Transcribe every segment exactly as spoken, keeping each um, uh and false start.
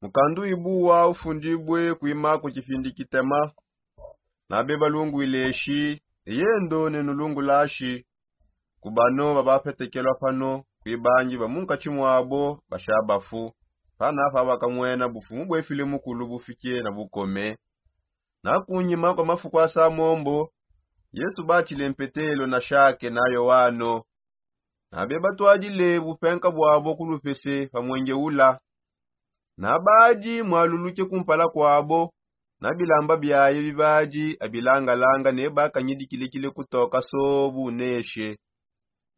Mukandu ibuwa ufundibue kuimako kifindi kitema. Nabe balungwile shi, eyendo nenulungula shi. Kubano babapetekelwa pano, kuibangi ba munkatshi mwabo bashabafu. Panafa bakamwena bufumu bwefile mukulu bufike na bukome. Na kunyima kwa mafuku asa mombo, yesu batshile mpetelo na shake na yoano. Nabe batwadile bupenka bwabo kulupese pa mwenge ula. Nabadi mwaluluke kumpala kwabo. Na bilamba biaye bibadi abilangalanga ne bakanyidikilekile kutoka sobu neshe.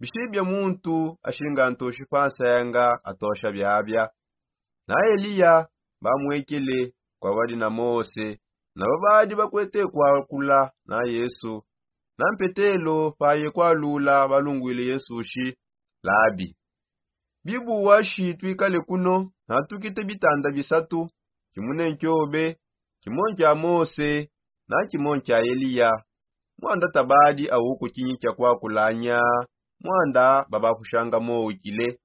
Bishibia muntu ashinga ntoshi pansenga atosha biabia. Na eliya bamwekele kwa badi na mose. Na babadi bakwete kwakula na yesu. Na mpetelo paye kwalula balungwile yesu shi, labi, bibuwa shi twikale kuno? Na tukite bitanda bisatu, kimune nkiobe, kimo nkya mose, na kimo nkya eliya. Mwanda tabadi awuku kinyi kya kwakulanya. Mwanda babafushanga mowukile.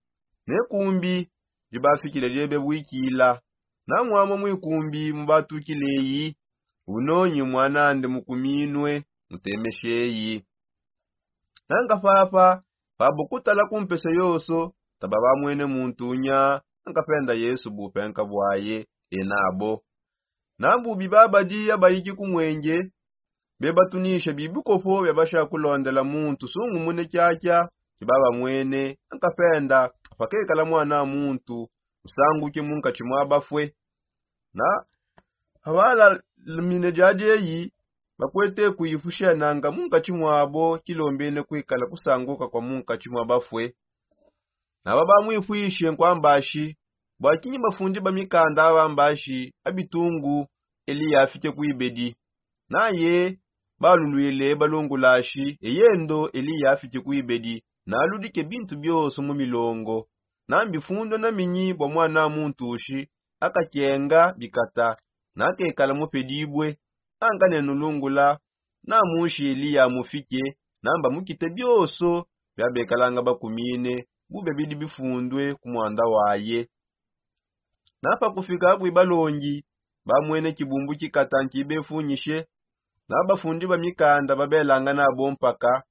Ne kumbi dibafikile diebe bwikila. Na mwamwa mwikumbi mubatukileyi. Unonyi mwanande mukuminwe, mutemesheyi. Nanga papa, pabo kutala kumpese yoso, taba bamwene muntu unya. Nanga penda yesu bupenka bwaye. Enabo nambubi babadi abayiki kumwenge, bebatunisha bibikopo biabasha kulondela muntu sungumune kyakya kibabamwene. Nanga penda pakekala mwana muntu, usanguke munkatshi mwa bafwe. Na abalamine diadi eyi, bakwete kuifushenanga munkatshi mwabo kilombene kwikala kusanguka kwa munkatshi mwa bafwe. Naba bamwifwishe nkwamba shi, bwakinyi bafundi ba mikanda abamba shi abitungu eliya afike kuibedi? Naye balulwile balungula shi, eyendo eliya afike kuibedi, naludike bintu bioso mu milongo. Nambifundwa na minyi bwa mwana muntu shi akakenga bikata, nakekala mupedibue. Anka nenulungula, na munshi eliya mufike, namba mukite bioso biabekalanga bakumine, bube bidi bifundwe ku mwanda waye. Na pakufika kwi balongi, bamwene kibumbu kikata nkibefunyishe. Na bafundi ba mikanda babelanga nabo mpaka.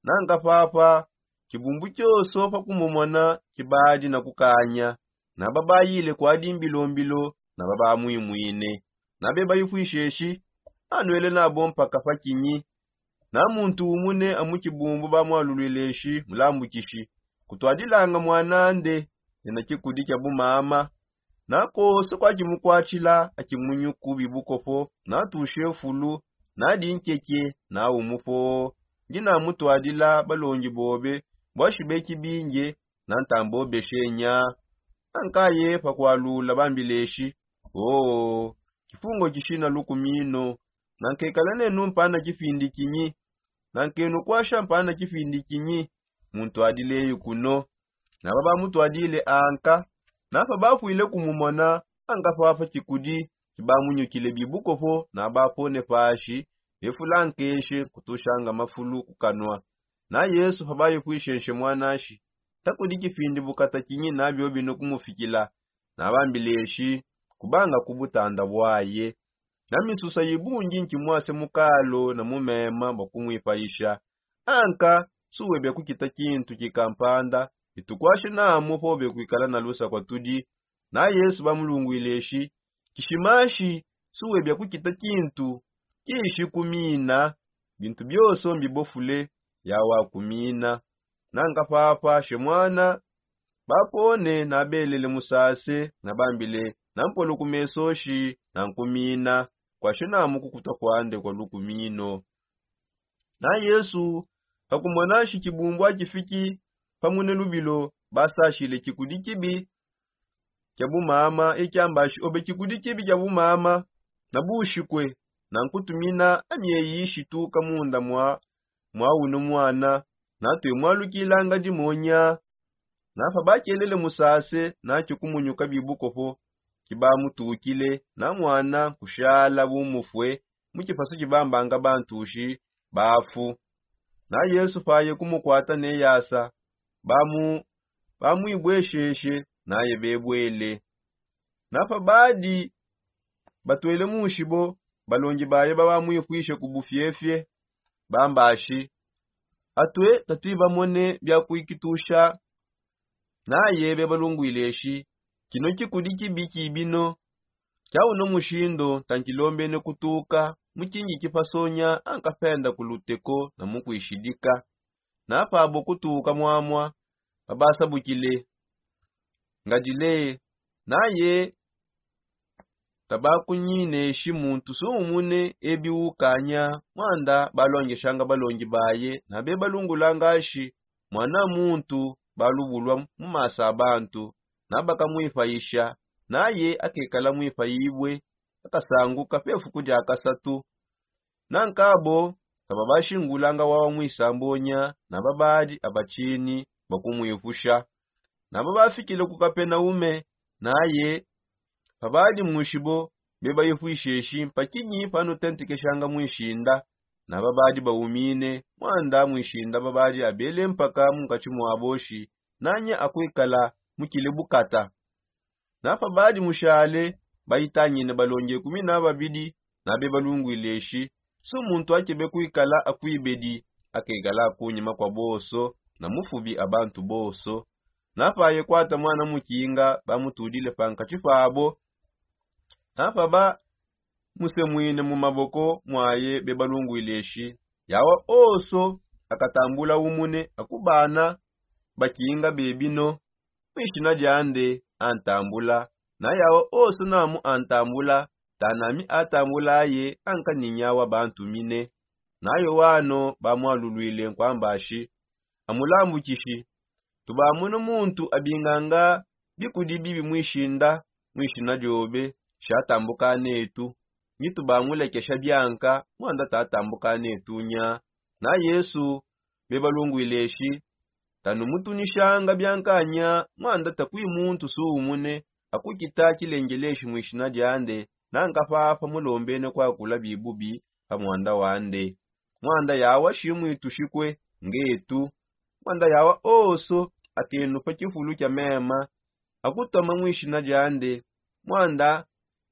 Nanga papa, kibumbu kioso pakumumona kibadi na kukanya. Na babayile kwadi mbilombilo, na babamwimwine. Nabe bayifwisheshi, anwele nabo mpaka pakinyi? Na muntu umune amu kibumbu bamwalulwile shi, mulambukishi, kutwadilanga mwanande, nena kikudi kya bumama. Na kose kwakimukwatshila akimunyuku bibukopo, natushe fulu, nadi nkeke, na umupo. Ndi namutwadila balongi bobe, bwashibeki binge, na ntambobeshe nya. Ankaye pakwalula bambileshi, oo, kifungo kishina lukumino. Na nkekala nenu mpana kifindi kinyi? Na nkenu kwasha mpana kifindi kinyi? Muntu adileyi kuno. Naba bamutwadile anka. Napa bafwile kumumona, anka papa kikudi kibamunyukile bibukopo na bapone pashi, befula nkeshe kutushanga mafulu kukanwa. Na yesu pabayifwishenshe mwanashi, takudi kifindi bukata kinyi nabio bino kumufikila? Nabambileshi, kubanga ku butanda bwaye. Na misusa yibungi nkimwase mukalo na mumema bwa kumwipayisha. Anka suwebia kukita kintu kikampanda, itukwashe namu pobe kwikala na lusa kwa tudi. Na yesu bamulungwile shi, kishimashi, suwebia kukita kintu kishi kumina. Bintu bioso mbibofule, yawakumina. Nanga papa she mwana, bapone nabelele musase, nabambile, nampolo kumeso shi nankumina. Kwashe namu kukuta kwande kwa lukumino. Na yesu, pakumona shi kibumbu akifiki pamune lubilo, basashile kikudi kibi kya bumama ekyambashi obe kikudi kibi kya bumama, na bushikwe, na nkutumina amyeyi ishituka munda mwa mwa uno mwana, natwe mwalukilanga dimonya. Napa bakelele musase nakyo kumunyuka bibukopo kibamutukile, na mwana kushala bumufwe mu kipasu kibambanga bantushi bafu. Na yesu paye kumukwata ne yasa, bamu bamwibwesheshe, naye bebwele. Na pabadi batwele munshibo, balongi baye babamwifwishe ku bufiefie, bambashi: Atwe tatuibamone bia kuikitusha. Naye bebalungwile eshi: Kino kikudi kibi kibino. Kia uno mushindo tankilombene kutuka mukingi kipasonya ankapenda ku luteko na mukuishidika. Na pabo kutuka mwamwa, babasabukile ngadile. Naye tabakunyineshi muntu sumumune ebi ukanya, mwanda balongeshanga balongi baye na bebalungulanga ashi: Mwana muntu balubulwa mu maso a bantu, na bakamwifayisha, naye akekala mwifayibwe, akasanguka pe fuku dia kasatu. Na nkabo tababashingulanga wawa mwisambonya, na babadi abatshini bakumwifusha. Na babafikile ku Kapenaume, naye pabadi munshibo, bebayifwisheshi: Mpakinyi panutentekeshanga mwishinda? Na babadi baumine, mwanda mwishinda babadi abele mpaka munkatshi mwaboshi: Nanya akuikala mukile bukata? Na pabadi mushale, bayitangine balongi ekumi na babidi, na bebalungwile eshi: Sumuntu akebe kuikala akuibedi, akekala akunyima kwa bonso, na mufubi a bantu bonso. Na paye kwata mwana mukinga, bamutudile pankatshi pabo. Na pabamusemwine mu maboko mwaye, bebalungwile eshi: Yawa onso akatambula umune akubana bakinga bebino, mwishina diande antambula. Na yawa onso namu antambula, tanami atambulaye ankaninyawa bantumine. Na Yoano bamwalulwile nkwambashi: Amulambukishi, tubamona muntu abinganga bikudi bibi mwishinda, mwishina diobe, shi atambuka netu. Nyi tubamulekesha bianka, mwanda tatambuka netu nya. Na Yesu bebalungwile eshi: Tanumutunishanga biankanya, mwanda takui muntu suumune akukita kilengeleshi mwishina diande, nanka papa mulombene kwakula bibubi pa mwanda wande. Mwanda yawa shimwitushikwe ngetu. Mwanda yawa onso akenu pa kifulu kia mema, akutoma mwishina diande, mwanda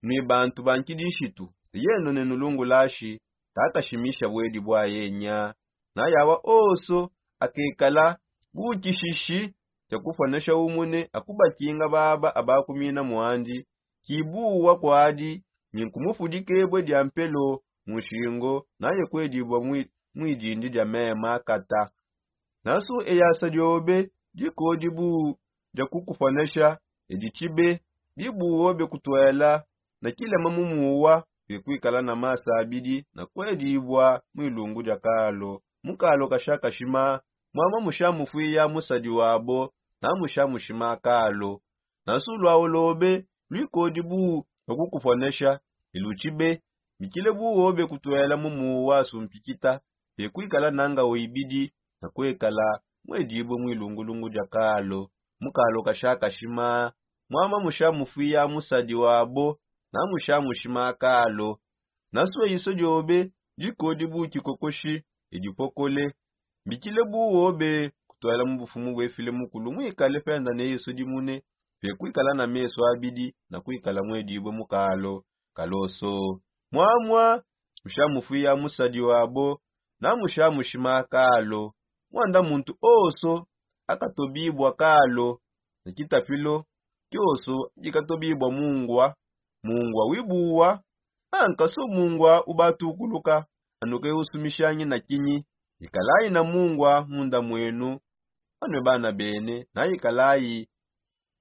nui bantu ba nkidishitu, yeno nenulungulashi, takashimisha bwedi bwaye nya. Na yawa onso akekala bukishishi kia kuponesha umune akubakinga baba abakumina mwandi, kibuwa kwadi, ni nkumufudikebwe dia mpelo mu nshingo, naye kwedibwa mwi-, mwidindi dia mema kata. Nasu eyasa diobe dikodibu dia kukuponesha, edi tshibe, bibuwo bekutwela na kilema mu muwa, bekuikala na masa abidi na kwedibwa mwilungu dia kalo, mu kalo kashakashima, mwama mushamufwiya musadi wabo, na mushamushima kalo. Nasu lwawo lobe lwikodibu lwa kukuponesha, ilutshibe, bikile buwo bekutwela mu muwa sumpikita, bekuikala nanga oibidi na kwekala mwedibwe mwilungulungu dia kalo, mu kalo kashakashima, mwama mushamufwiya musadi wabo, na mushamushima kalo. Nasu eiso diobe dikodibu kikokoshi, edipokole, bikile buwo bekutwela mu bufumu bwefile mukulu, mwikale penda ne eiso dimune, bekuikala na meso abidi na kwikala mwedibwe mu kalo, kaloso, mwamwa mushamufwiya musadi wabo, na mushamushima kalo. Mwanda muntu onso akatobibwa kalo, na kitapilo kioso dikatobibwa mungwa, mungwa wibuwa, anka so mungwa ubatukuluka, anuke usumishanyi na kinyi, ikalayi na mungwa munda mwenu, anwe bana bene, na ikalayi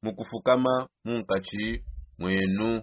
mukufukama munkatshi mwenu.